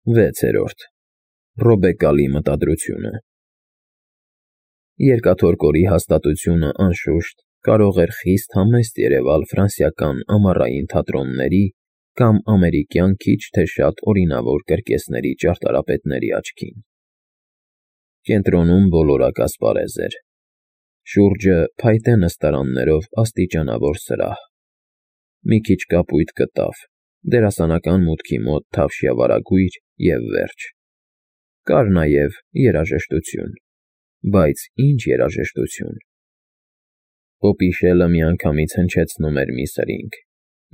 6. Ռոբեկալի մտադրությունը Երկաթորկորի հաստատությունը, անշուշտ, կարող էր խիստ համեստ երևալ ֆրանսիական ամառային թատրոնների կամ ամերիկյան քիչ թե շատ օրինավոր կրկեսների ճարտարապետների աչքին։ Կենտրոնում բոլորակ ասպարեզ էր։ Շուրջը փայտե նստարաններով աստիճանավոր սրահ։ Մի քիչ կապույտ կտավ, դերասանական մուտքի մոտ թավշյա վարագույր և վերջ։ Կար նաև երաժշտություն, բայց ինչ երաժշտություն։ Պոպիշելը միանգամից հնչեցնում էր մի սրինգ,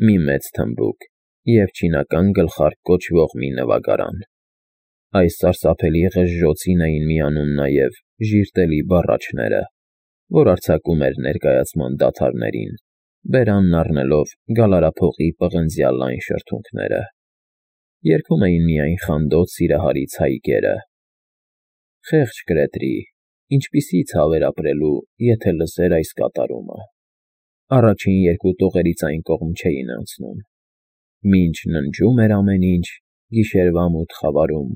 մի մեծ թմբուկ և չինական գլխարկ կոչվող մի նվագարան։ Այս սարսափելի ղժժոցին էին միանում նաև ժիրտելի բառաչները, որ արձակում էր ներկայացման դադարներին, բերանն առնելով գալարափողի պղնձյա լայն շրթունքները։ Երգում էին միայն խանդոտ սիրահարից հայկերը։ Խեղճ Գրետրի, ինչպիսի ցավ էր ապրելու, եթե լսեր այս կատարումը։ Առաջին երկու տողերից այն կողմ չէին անցնում։ Մինչ ննջում էր ամեն ինչ, գիշերվա մութ խավարում,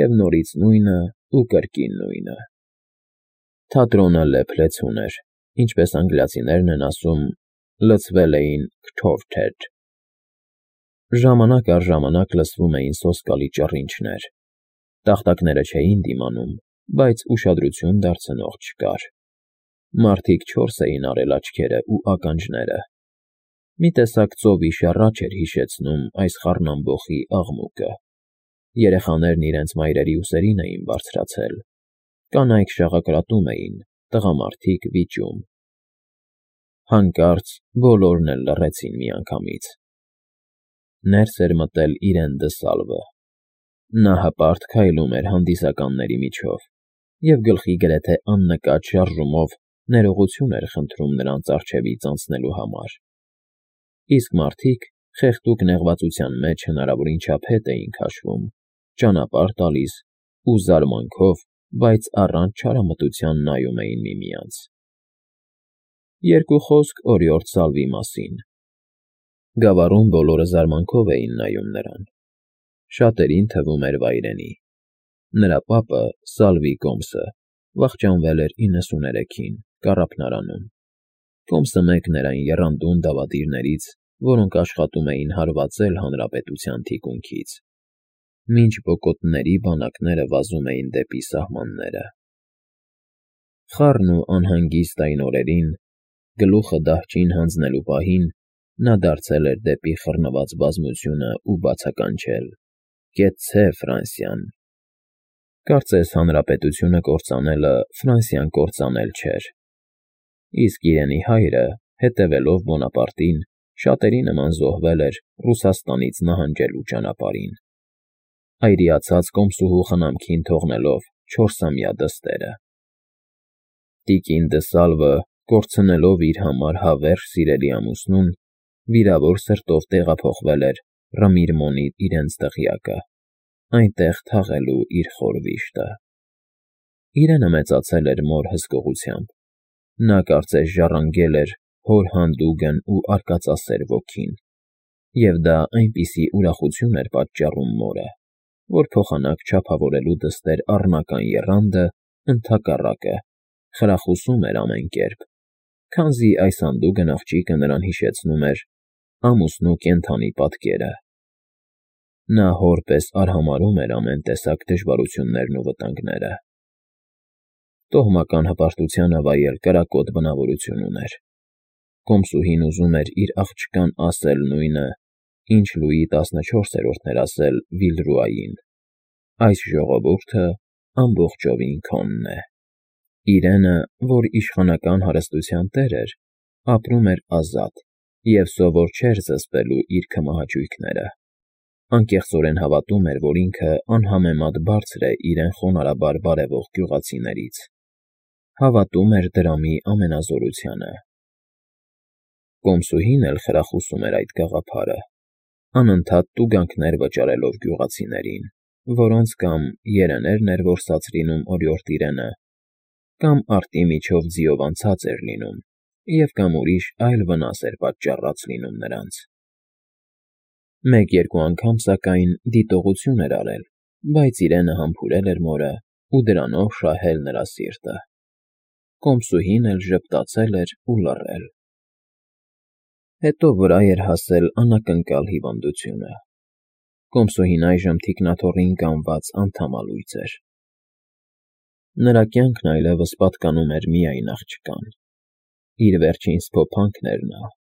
և նորից նույնը ու կրկին նույնը։ Թատրոնը լեփ-լեցուն էր, ինչպես անգլիացիներն են ասում, լցվել էին «քթովթեթ»։ Ժամանակ առ ժամանակ լսվում էին սոսկալի ճռինչներ։ Տախտակները չէին դիմանում, բայց ուշադրություն դարձնող չկար։ Մարդիկ չորս էին արել աչքերը ու ականջները։ Մի տեսակ ծովի շառաչ էր հիշեցնում այս խառնամբոխի աղմուկը։ Երեխաներն իրենց մայրերի ուսերին էին բարձրացել։ Կանայք շաղակրատում էին, տղամարդիկ՝ վիճում։ Հանկարծ բոլորն էլ լռեցին միանգամից։ Ներս էր մտել իրեն դսալվը։ Նա հպարտ քայլում էր հանդիսականների միջով և գլխի գրեթե աննկատ շարժումով ներողություն էր խնդրում նրանց առջևից անցնելու համար։ Իսկ մարդիկ խեղդուկ նեղվածության մեջ հնարավորին չափ հետ էին քաշվում, ճանապարհ տալիս ու զարմանքով, բայց առանց չարամտության նայում էին միմյանց։ Երկու խոսք օրիորդ Սալվի մասին։ Գավառում բոլորը զարմանքով էին նայում նրան։ Շատերին թվում էր վայրենի։ Նրա պապը՝ Սալվի Կոմսը, վախճանվել էր 93-ին կառափնարանում։ Կոմսը մեկն էր այն եռանդուն դավադիրներից, որոնք աշխատում էին հարվածել հանրապետության թիկունքից, մինչ բոկոտների բանակները վազում էին դեպի սահմանները։ Խառն ու անհանգիստ այն օրերին, գլուխը դահճին հանձնելու պահին, նա դարձել էր դեպի խռնված բազմությունը ու բացականչել. «Կեցցե Ֆրանսիան»։ Կարծես հանրապետությունը կործանելը Ֆրանսիան կործանել չէր։ Իսկ իրենի հայրը, հետևելով Բոնապարտին, շատերի նման զոհվել էր Ռուսաստանից նահանջելու ճանապարհին, այրիացած կոմսուհու խնամքին թողնելով 4-ամյա դստերը։ Տիկին դը Սալվը, կորցնելով իր համար հավերժ սիրելի ամուսնուն, վիրավոր սրտով տեղափոխվել էր Ռմիրմոնի իրենց դղյակը, այնտեղ թաղելու իր խոր վիշտը։ Իրենը մեծացել էր մոր հսկողությամբ։ Նա կարծես ժառանգել էր հոր հանդուգն ու արկածասեր ոգին, և դա այնպիսի ուրախություն էր պատճառում մորը, որ փոխանակ չափավորելու դստեր առնական եռանդը, ընդհակառակը, խրախուսում էր ամեն կերպ, քանզի այս հանդուգն աղջիկը նրան հիշեցնում էր ամուսնու կենդանի պատկերը։ Նա հոր պես արհամարհում էր ամեն տեսակ դժվարություններն ու վտանգները։ Տոհմական հպարտությանը վայել կրակոտ բնավորություն ուներ։ Կոմսուհին ուզում էր իր աղջկան ասել նույնը, ինչ Լուի 14-րդն էր ասել Վիլրուային. «Այս ժողովուրդը ամբողջովին քոնն է»։ Իրենը, որ իշխանական հարստության տեր էր, ապրում էր ազատ և սովոր չէր զսպելու իր քմահաճույքները։ Անկեղծորեն հավատում էր, որ ինքը անհամեմատ բարձր է իրեն խոնարհաբար բարևող գյուղացիներից։ Հավատում էր դրամի ամենազորությանը։ Կոմսուհին էլ խրախուսում էր այդ գաղափարը, անընդհատ տուգանքներ վճարելով գյուղացիներին, որոնց կամ երեներն էր որսաց լինում օրիորդ իրենը, կամ արտի միջով ձիով անցած էր լինում, և կամ ուրիշ այլ վնաս էր պատճառած լինում նրանց։ Մեկ-երկու անգամ, սակայն, դիտողություն էր արել, բայց իրենը համբուրել էր մորը ու դրանով շահել նրա սիրտը։ Կոմսուհին էլ ժպտացել էր ու լռել։ Հետո վրա էր հասել անակնկալ հիվանդությունը։ Կոմսուհին այժմ թիկնաթոռին կանված անդամալույծ էր։ Նրա կյանքն այլևս պատկանում էր միայն աղջկան։ Իր վերջին սփոփանքն էր նա։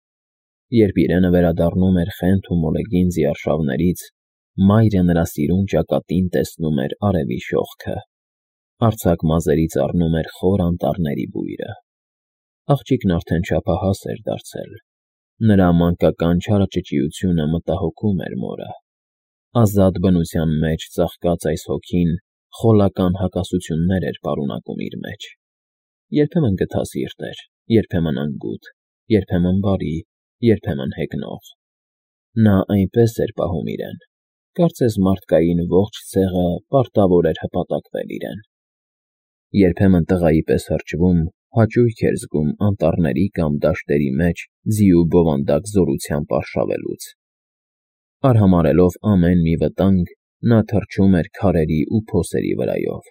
Երբ իրենը վերադառնում էր Խենթ ու Մոլեգինզի արշավներից, մայրը նրա սիրուն ճակատին տեսնում էր արևի շողքը, արձակ մազերից առնում էր խոր անտառների բույրը։ Աղջիկն արդեն չափահաս էր դարձել։ Նրա մանկական չարաճճիությունը մտահոգում էր մորը։ Ազատ բնության մեջ ծաղկած այս հոգին խոլական հակասություններ էր պարունակում իր մեջ։ Երբեմն գթասիրտ էր, երբեմն անգութ, երբեմն բարի, երբեմն հեգնող։ Նա այնպես էր պահում իրեն, կարծես մարդկային ողջ ցեղը պարտավոր էր հպատակվել իրեն։ Երբեմն տղայի պես հրճվում, հաճույք էր զգում անտառների կամ դաշտերի մեջ ձիու բովանդակ զորությամբ արշավելուց։ Արհամարհելով ամեն մի վտանգ, նա թռչում էր քարերի ու փոսերի վրայով։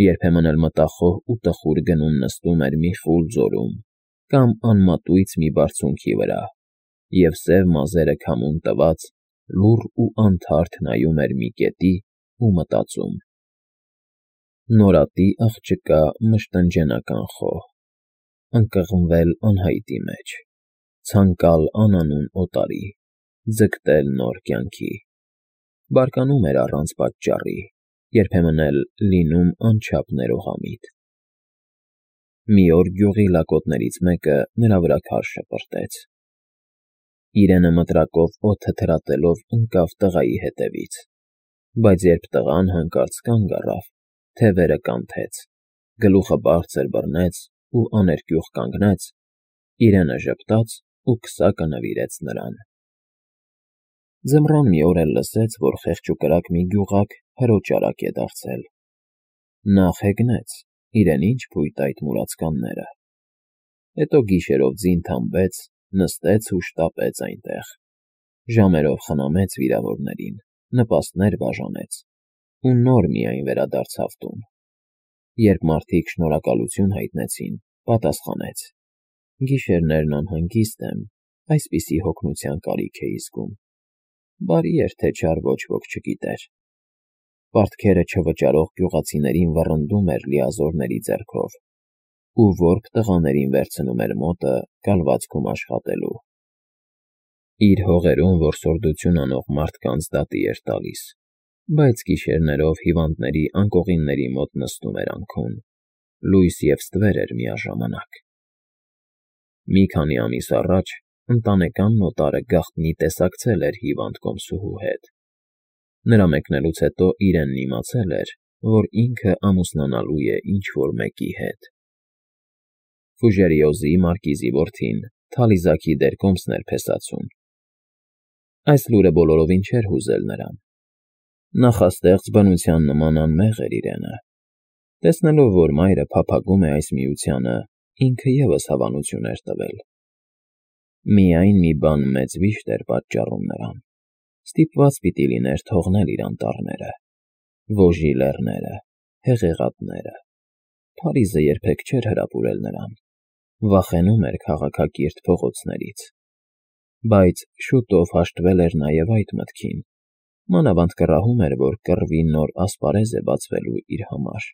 Երբեմն էլ մտախոհ ու տխուր գնում նստում էր մի խուլ ձորում կամ անմատույց մի բարձունքի վրա, և սև մազերը քամուն տված, լուռ ու անթարթ նայում էր մի կետի ու մտածում. նորատի աղջկա մշտնջենական խոհ, ընկղմվել անհայտի մեջ, ցանկալ անանուն օտարի, ձգտել նոր կյանքի, բարկանում էր առանց պատճառի, երբեմն էլ լինում անչափ ներողամիտ։ Մի օր գյուղի լակոտներից մեկը նրա վրա քար շպրտեց։ Իրենը մտրակով օդը թրատելով ընկավ տղայի հետևից, բայց երբ տղան հանկարծ կանգ առավ, թևերը կանթեց, գլուխը բարձր բռնեց ու աներկյուղ կանգնեց, իրենը ժպտաց ու քսակը նվիրեց նրան։ Ձմռան մի օր էլ լսեց, որ խեղճ ու կրակ մի գյուղակ հրոճարակ է դարձել։ Նա խեգնեց, իրեն ինչ փույթ այդ մուրացկանները։ Հետո գիշերով ձին թամբեց, նստեց ու շտապեց այնտեղ։ Ժամերով խնամեց վիրավորներին, նպաստներ բաժանեց ու նոր միայն վերադարձավ տուն։ Երբ մարդիկ շնորհակալություն հայտնեցին, պատասխանեց. գիշերներն անհանգիստ եմ, այսպիսի հոգնության կարիք էի զգում։ Բարի էր, թե չար ոչ ոք չգիտեր։ Պարտքերը չվճարող գյուղացիներին վռնդում էր լիազորների ձեռքով ու որբ տղաներին վերցնում էր մոտը կալվածքում աշխատելու։ Իր հողերում որսորդություն անող մարդկանց դատի էր տալիս, բայց գիշերներով հիվանդների անկողինների մոտ նստում էր անքուն, լույս և ստվեր էր միաժամանակ։ Մի քանի ամիս առաջ ընտանեկան նոտարը գաղտնի տեսակցել էր հիվանդ կոմսուհու հետ։ Նրա մեկնելուց հետո իրենն իմացել էր, որ ինքը ամուսնանալու է ինչ-որ մեկի հետ։ Ֆուժերիոզի մարկիզի որդին Թալիզաքի դեր կոմսն էր փեսացուն։ Այս լուրը բոլորովին չէր հուզել նրան։ Նախաստեղծ բնության նման անմեղ էր իրենը։ Տեսնելով, որ մայրը փափագում է այս միությանը, ինքը ևս հավանություն էր տվել։ Միայն մի բան մեծ վիշտ էր պատճառում նրան. ստիպված պիտի լիներ թողնել իր անտառները, Վոժի լեռները, հեղեղատները։ Փարիզը երբեք չէր հրապուրել նրան, վախենում էր քաղաքակիրթ փողոցներից։ Բայց շուտով հաշտվել էր նաև այդ մտքին, մանավանդ կռահում էր, որ կռվի նոր ասպարեզ է բացվելու իր համար։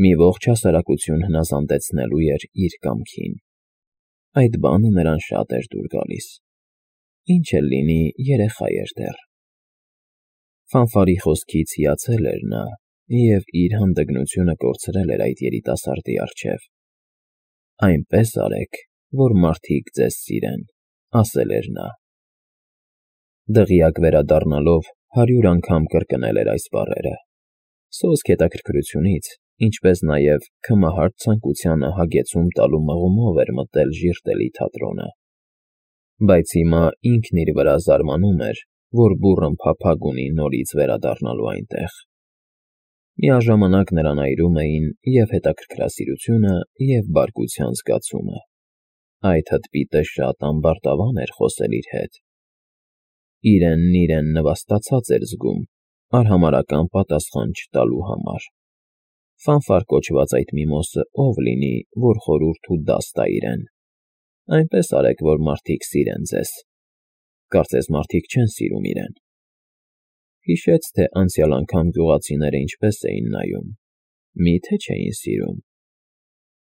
Մի ողջ հասարակություն հնազանդեցնելու էր իր կամքին։ Այդ բանը նրան շատ էր դուր գալիս։ Ինչ էլ լինի, երեխա էր դեռ։ Ֆանֆարի խոսքից հիացել էր նա և իր հանդգնությունը կորցրել էր այդ երիտասարդի առջև։ Այնպես արեք, որ մարդիկ ձեզ սիրեն, ասել էր նա։ Դղյակ վերադառնալով 100 անգամ կրկնել էր այս բառերը։ Սոսկ հետաքրքրությունից, ինչպես նաև քմահարտ ցանկությանը հագեցում տալու մղումով էր մտել ժիրտելի թատրոնը։ Բայց հիմա ինքն իր վրա զարմանում էր, որ բուռն փափագ ունի նորից վերադառնալու այնտեղ։ Միաժամանակ նրան այրում էին և հետաքրքրասիրությունը, և բարկության զգացումը։ Այդ հտպիտը շատ ամբարտավան էր խոսել իր հետ։ իրեն նվաստացած էր զգում արհամարհական պատասխան չտալու համար։ Ֆանֆար կոչված այդ միմոսը ով լինի, որ խորհուրդ ու դաս տա իրեն։ Այնպես արեք, որ մարդիկ սիրեն ձեզ։ Կարծես մարդիկ չեն սիրում իրեն։ Հիշեց, թե անցյալ անգամ գյուղացիները ինչպես էին նայում, մի՞թե չէին սիրում։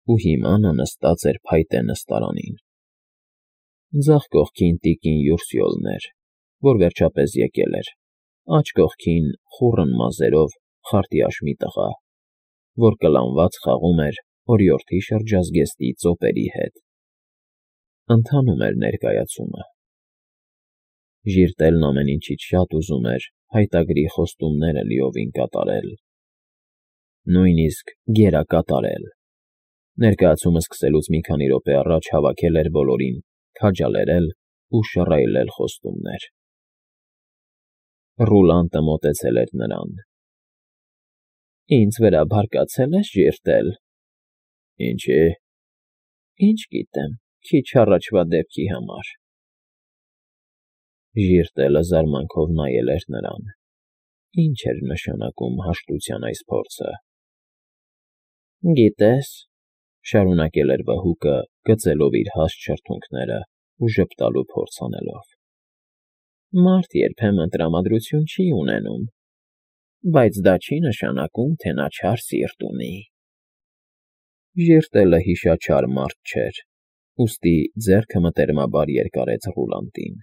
Ու հիմա նա նստած էր փայտե նստարանին։ Ձախ կողքին տիկին Յուրսյոլն էր, որ վերջապես եկել էր, աջ կողքին խուռն մազերով խարտյաշ մի տղա, որ կլանված խաղում էր օրիորդի շրջազգեստի ծոպերի հետ։ Ընթանում էր ներկայացումը։ Ժիրտելն ամեն ինչից շատ ուզում էր հայտագրի խոստումները լիովին կատարել, նույնիսկ գերակատարել։ Ներկայացումը սկսելուց մի քանի րոպե առաջ հավաքել էր բոլորին, քաջալերել ու շռայլել խոստումներ։ Ռուլանտը մոտեցել էր նրան։ Ինձ վրա բարկացել ես, Ժիրտել։ Ինչի՞։ Ինչ գիտեմ, քիչ առաջվա դեպքի համար։ Ժիրտելը զարմանքով նայել էր նրան։ Ինչ էր նշանակում հաշտության այս փորձը։ Գիտես, շարունակել էր վհուկը, գծելով իր հաստ շրթունքները ու ժպտալու փորձ անելով։ Մարդ երբեմն տրամադրություն չի ունենում, բայց դա չի նշանակում, թե նա չար սիրտ ունի։ Ժիրտելը հիշաչար մարդ չէր, ուստի ձեռքը մտերմաբար երկարեց Ռուլանտին։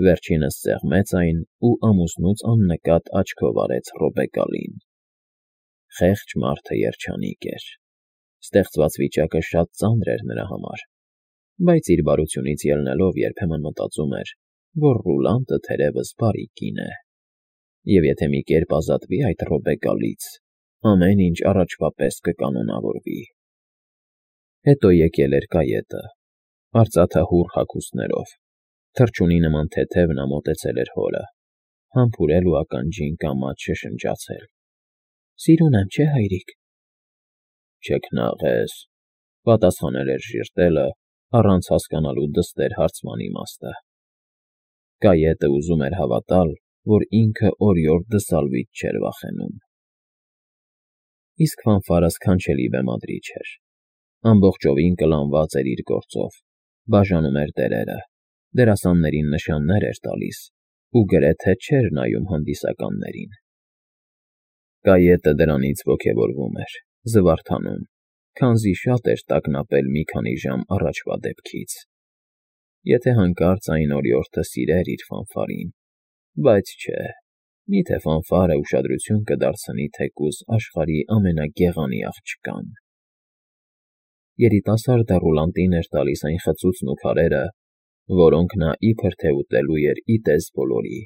Վերջինս սեղմեց այն ու ամուսնուց աննկատ աչքով արեց Ռոբեկալին։ Խեղճ մարդը երջանիկ էր։ Ստեղծված վիճակը շատ ծանր էր նրա համար, բայց իր բարությունից ելնելով երբեմն մտածում էր, որ Ռուլանտը թերևս բարի կին է։ Եվ եթե մի կերպ ազատվի այդ Ռոբեկալից, ամեն ինչ առաջվա պես կկանոնավորվի։ Հետո եկել էր կայետը, արծաթահուռ հագուստներով, թռչունի նման թեթև նա մոտեցել էր հորը, համբուրել ու ականջին կամաց շշնջացել։ Սիրուն եմ, չէ՞ հայրիկ։ Չքնաղես, պատասխանել էր Ժիրտելը, առանց հասկանալու դստեր հարցման իմաստը։ Կայետը ուզում էր հավատալ, որ ինքը օրիորդ Դսալվից չէր վախենում։ Իսկ Ֆանֆարը սքանչելի բեմադրիչ էր։ Ամբողջովին կլանված էր իր գործով, բաժանում էր դերերը, դերասաններին նշաններ էր տալիս ու գրեթե չէր նայում հանդիսականներին։ Կայետը դրանից ոգևորվում էր, զվարթանում, քանզի շատ էր տագնապել մի քանի ժամ առաջվա դեպքից։ Եթե հանկարծ այն օրիորդը սիրեր իր Ֆանֆարին, բայց չէ, միթե Ֆանֆարը ուշադրություն կդարձնի թեկուզ աշխարհի ամենագեղանի աղջկան։ Երիտասարդը Ռուլանտին էր տալիս այն խծուծն ու քարերը, որոնք նա իբր թե ուտելու էր ի տես բոլորի։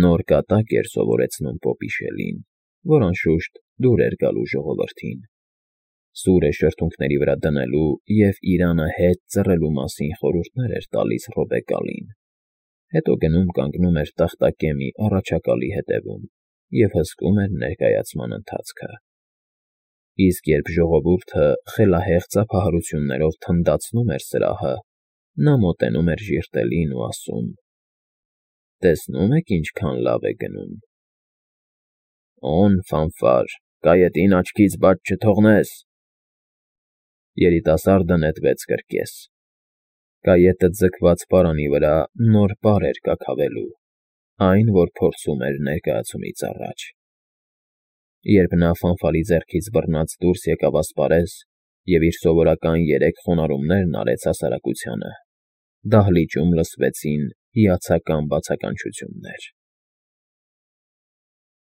Նոր կատակ էր սովորեցնում Պոպիշելին, որ անշուշտ դուր էր գալու ժողովրդին։ Սուրը շրթունքների վրա դնելու և իրանը հետ ծռելու մասին խորհուրդներ էր տալիս Ռոբեկալին։ Հետո գնում կանգնում էր տախտակեմի առաջակալի հետևում և հսկում էր ներկայացման ընթացքը։ Իսկ երբ ժողովուրդը խելահեղ ծափահարություններով թնդացնում էր սրահը, նա մոտենում էր Ժիրտելին ու ասում. Տեսնում եք ինչքան լավ է գնում։ Օն Ֆանֆար, կայետին աչքից բաց չթողնես։ Երիտասարդը նետվեց կրկես։ Կայետը ձգված պարանի վրա նոր պար էր կաքավելու, այն, որ փորձում էր ներկայացումից առաջ։ Երբ նա Ֆանֆարի ձեռքից բռնած դուրս եկավ ասպարեզ և իր սովորական 3 խոնարհումներն արեց հասարակությանը, դահլիճում լսվեցին հիացական բացականչություններ։